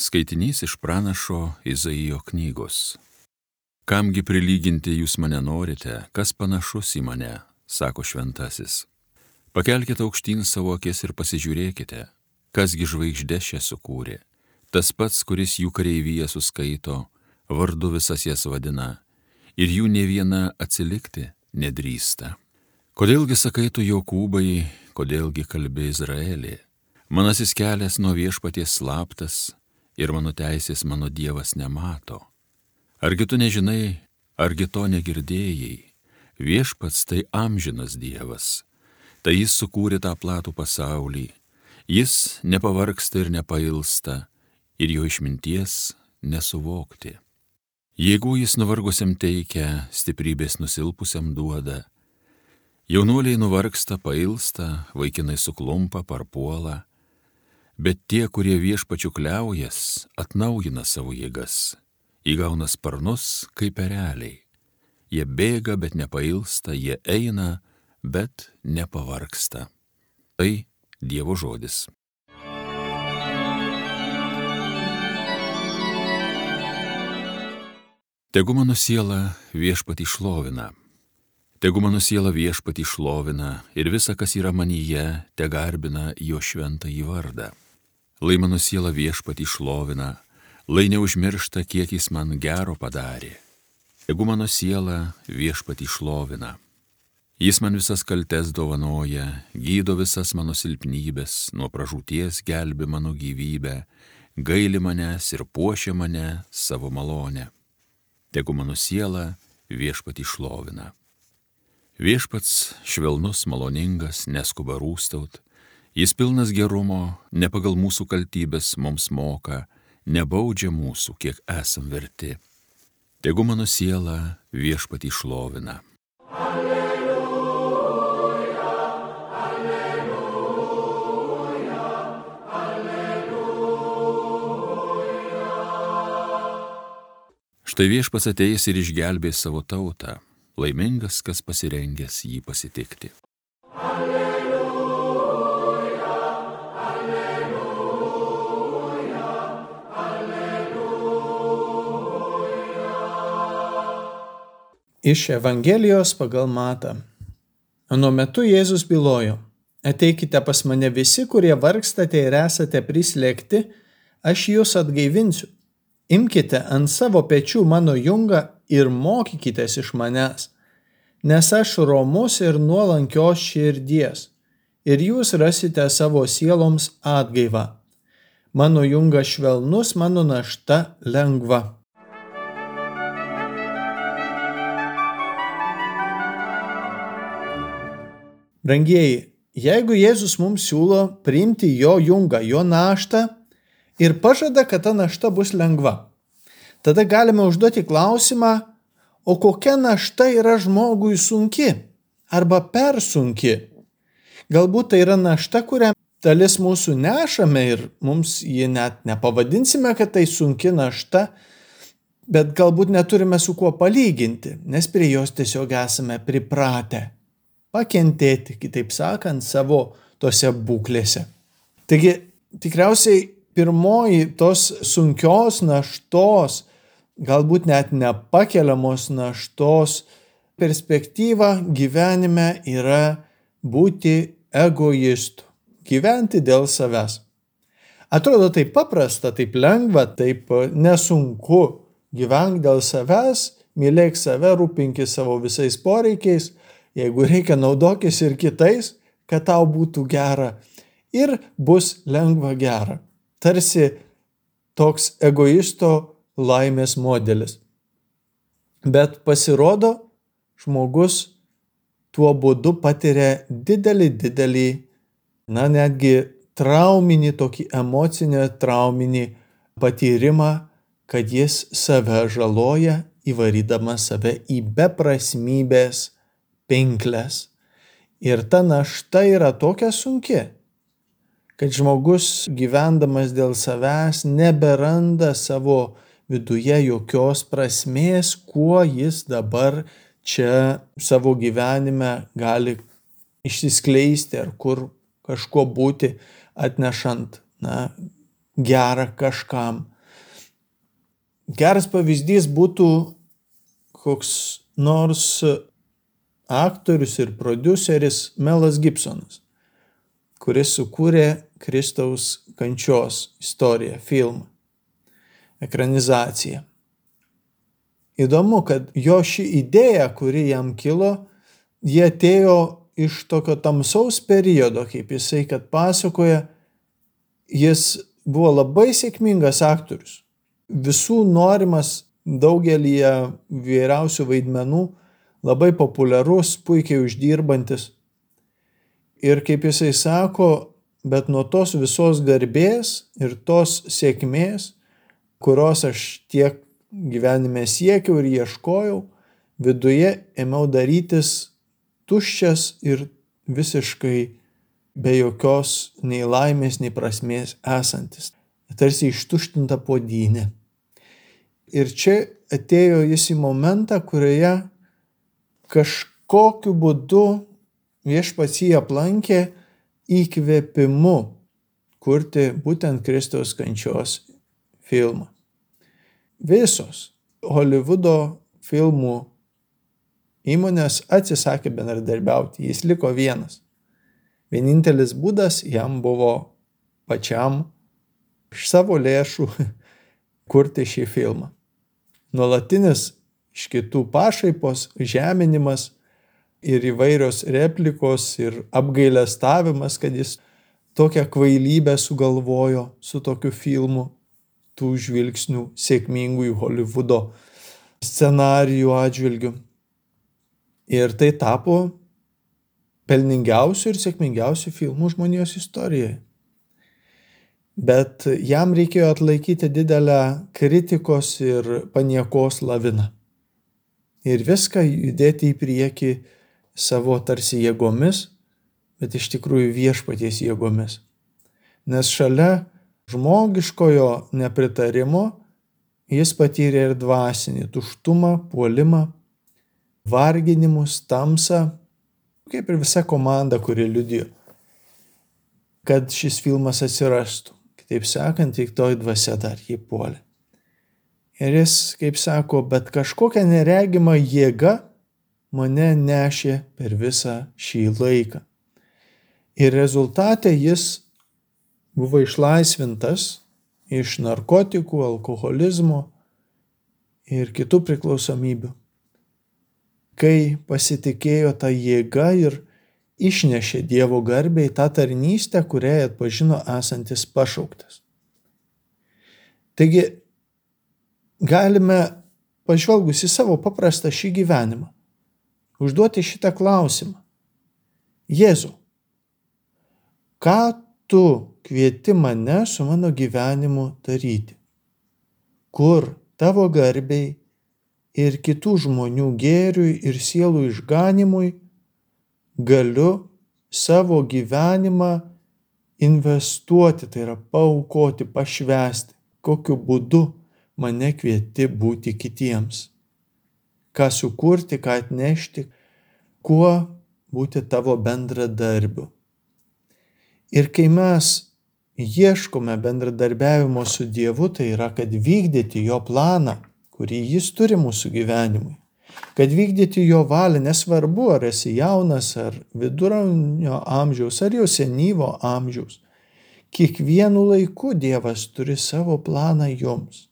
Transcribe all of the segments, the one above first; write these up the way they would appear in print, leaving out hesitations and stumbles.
Skaitinys iš pranašo Izaijo knygos. Kamgi prilyginti jūs mane norite, kas panašus į mane, sako šventasis. Pakelkite aukštyn savo akis ir pasižiūrėkite, kasgi žvaigždės čia sukūrė. Tas pats, kuris jų kareivyje suskaito, vardu visas jas vadina, ir jų ne viena atsilikti nedrįsta. Kodėlgi sakai tu Jokūbai, kodėlgi kalbi Izraelį? Manasis kelias nuo viešpaties slaptas, ir mano teisės mano Dievas nemato. Argi tu nežinai, argi to negirdėjai? Viešpats tai amžinas Dievas, tai jis sukūrė tą platų pasaulį, jis nepavargsta ir nepailsta, ir jo išminties nesuvokti. Jėgų jis nuvargusiam teikia, stiprybės nusilpusiam duoda. Jaunuoliai nuvargsta, pailsta, vaikinai suklumpa, parpuola, bet tie, kurie viešpačiu kliaujas, atnaujina savo jėgas, įgauna sparnus kaip ereliai. Jie bėga, bet nepailsta, jie eina, bet nepavargsta. Tai Dievo žodis. Tegu mano siela viešpatį šlovina. Tegu mano siela viešpatį šlovina ir visa, kas yra manyje, te garbina jo šventąjį vardą. Lai mano siela viešpatį šlovina, lai neužmiršta, kiek jis man gero padarė. Tegu mano siela viešpatį šlovina. Jis man visas kaltes dovanoja, gydo visas mano silpnybės, nuo pražūties gelbi mano gyvybę, gaili manęs ir puošia mane savo malonę. Tegu mano siela viešpatį šlovina. Viešpats švelnus, maloningas, neskuba rūstaut, jis pilnas gerumo, ne pagal mūsų kaltybės mums moka, nebaudžia mūsų, kiek esam verti. Tegu mano siela viešpatį šlovina. Štai viešpats ateis ir išgelbės savo tautą, laimingas, kas pasirengęs jį pasitikti. Alleluja, alleluja, alleluja. Iš Evangelijos pagal Matą. Anuo metu Jėzus bylojo: ateikite pas mane visi, kurie vargstate ir esate prislėgti, aš jūs atgaivinsiu. Imkite ant savo pečių mano jungą ir mokykitės iš manęs, nes aš romus ir nuolankios širdies, ir jūs rasite savo sieloms atgaivą. Mano jungas švelnus, mano našta lengva. Brangieji, jeigu Jėzus mums siūlo priimti jo jungą, jo naštą ir pažada, kad ta našta bus lengva, tada galime užduoti klausimą, o kokia našta yra žmogui sunki arba per sunki? Galbūt tai yra našta, kurią dalis mūsų nešame ir mums jį net nepavadinsime, kad tai sunki našta, bet galbūt neturime su kuo palyginti, nes prie jos tiesiog esame pripratę pakentėti, kitaip sakant, savo tose būklėse. Taigi, tikriausiai pirmoji tos sunkios naštos, galbūt net nepakeliamos naštos perspektyva gyvenime yra būti egoistu, gyventi dėl savęs. Atrodo taip paprasta, taip lengva, taip nesunku. Gyvenk dėl savęs, mylėk save, rūpinkis savo visais poreikiais, jeigu reikia naudokis ir kitais, kad tau būtų gera ir bus lengva gera. Tarsi toks egoisto laimės modelis. Bet pasirodo, žmogus tuo būdu patiria didelį, netgi trauminį, tokį emocinį trauminį patyrimą, kad jis save žaloja, įvarydamas save į beprasmybės pinkles. Ir ta našta yra tokia sunki, kad žmogus gyvendamas dėl savęs neberanda savo viduje jokios prasmės, kuo jis dabar čia savo gyvenime gali išsiskleisti ar kur kažko būti, atnešant gera kažkam. Geras pavyzdys būtų koks nors aktorius ir prodiuseris Melas Gibsonas, kuris sukūrė Kristaus kančios istoriją, filmą, ekranizaciją. Įdomu, kad jo ši idėja, kuri jam kilo, jie atėjo iš tokio tamsaus periodo, kaip jisai, kad pasakoja, jis buvo labai sėkmingas aktorius. Visų norimas daugelį vyriausių vaidmenų, labai populiarus, puikiai uždirbantis. Ir kaip jisai sako, bet nuo tos visos garbės ir tos sėkmės, kurios aš tiek gyvenime siekiau ir ieškojau, viduje ėmiau darytis tuščias ir visiškai be jokios nei laimės, nei prasmės esantis. Tarsi ištuštinta puodynė. Ir čia atėjo jis į momentą, kurioje kažkokiu būdu Viešpats jį aplankė įkvėpimu kurti būtent Kristaus kančios filmą. Visos Holivudo filmų įmonės atsisakė bendradarbiauti, jis liko vienas. Vienintelis būdas jam buvo pačiam iš savo lėšų kurti šį filmą. Nuolatinis iš kitų pašaipos, žeminimas ir įvairios replikos ir apgailestavimas, kad jis tokią kvailybę sugalvojo su tokiu filmu, tų žvilgsnių sėkmingųjų Holivudo scenarijų atžvilgių. Ir tai tapo pelningiausių ir sėkmingiausių filmų žmonijos istorijoje. Bet jam reikėjo atlaikyti didelę kritikos ir paniekos laviną. Ir viską judėti į priekį savo tarsi jėgomis, bet iš tikrųjų Viešpaties jėgomis. Nes šalia žmogiškojo nepritarimo jis patyrė ir dvasinį tuštumą, puolimą, varginimus, tamsą, kaip ir visa komanda, kuri liudijo, kad šis filmas atsirastų. Kitaip sakant, piktoji dvasia dar jį puolė. Ir jis, kaip sako, bet kažkokia neregima jėga mane nešė per visą šį laiką. Ir rezultate jis buvo išlaisvintas iš narkotikų, alkoholizmo ir kitų priklausomybių, kai pasitikėjo tą jėgą ir išnešė Dievo garbę į tą tarnystę, kuriai atpažino esantis pašauktas. Taigi, galime, pažvelgus į savo paprastą šį gyvenimą, užduoti šitą klausimą. Jėzau, ką tu kvieti mane su mano gyvenimu daryti? Kur tavo garbei ir kitų žmonių gėriui ir sielų išganimui galiu savo gyvenimą investuoti, tai yra paaukoti, pašvęsti, kokiu būdu mane kvieti būti kitiems, ką sukurti, ką atnešti, kuo būti tavo bendradarbiu. Ir kai mes ieškome bendradarbiavimo su Dievu, tai yra, kad vykdyti jo planą, kurį jis turi mūsų gyvenimui, kad vykdyti jo valią, nesvarbu, ar esi jaunas, ar viduramžio amžiaus, ar jau senyvo amžiaus. Kiekvienu laiku Dievas turi savo planą jums.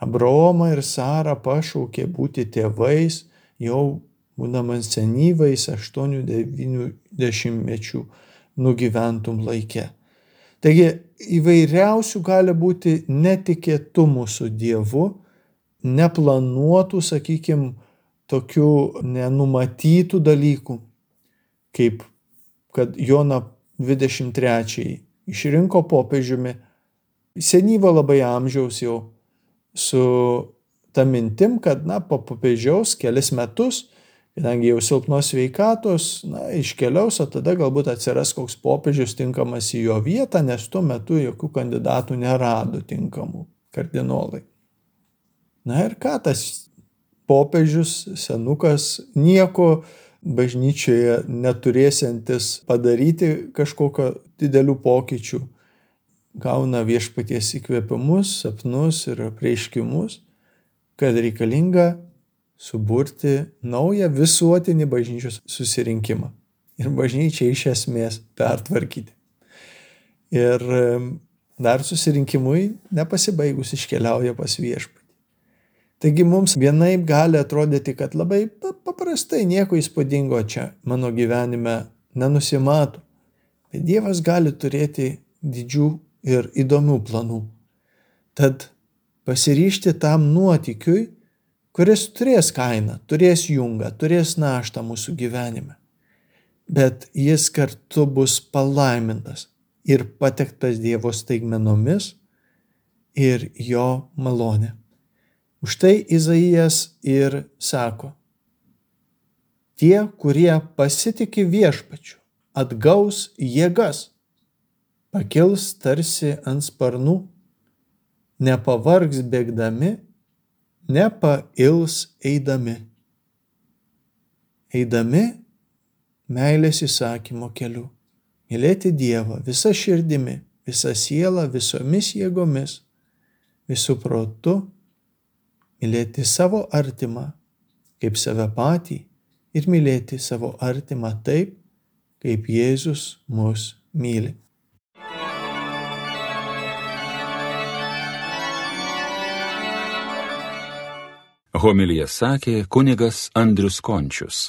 Abraomą ir Sarą pašaukė būti tėvais, jau būdamas senyvais 8-90 mečių nugyventum laike. Taigi įvairiausių gali būti netikėtumų su Dievu, neplanuotų, sakykime, tokių nenumatytų dalykų, kaip kad Joną 23 išrinko popiežiumi, senyvo labai amžiaus jau, su ta mintim, kad po popiežiaus kelis metus, kadangi jau silpnos sveikatos, iškeliaus, o tada galbūt atsiras koks popiežius tinkamas į jo vietą, nes tuo metu jokių kandidatų nerado tinkamų kardinolai. Ir ką tas popiežius, senukas, nieko bažnyčioje neturėsiantis padaryti kažkokio didelių pokyčių, gauna viešpaties įkvėpimus, sapnus ir apreiškimus, kad reikalinga suburti naują visuotinį bažnyčios susirinkimą ir bažnyčią iš esmės pertvarkyti. Ir dar susirinkimui nepasibaigus iškeliauja pas viešpatį. Taigi mums vienaip gali atrodyti, kad labai paprastai nieko įspūdingo čia mano gyvenime nenusimato. Bet Dievas gali turėti didžių ir įdomių planų. Tad pasiryžti tam nuotykiui, kuris turės kainą, turės jungą, turės naštą mūsų gyvenime. Bet jis kartu bus palaimintas ir patektas Dievo staigmenomis ir jo malonė. Už tai Izaijas ir sako: tie, kurie pasitiki viešpačiu, atgaus jėgas, pakils tarsi ant sparnų, nepavargs bėgdami, nepails eidami. Eidami meilės įsakymo keliu, mylėti Dievą visa širdimi, visa siela, visomis jėgomis, visų protu, mylėti savo artimą kaip save patį ir mylėti savo artimą taip, kaip Jėzus mus myli. Homiliją sakė kunigas Andrius Končius.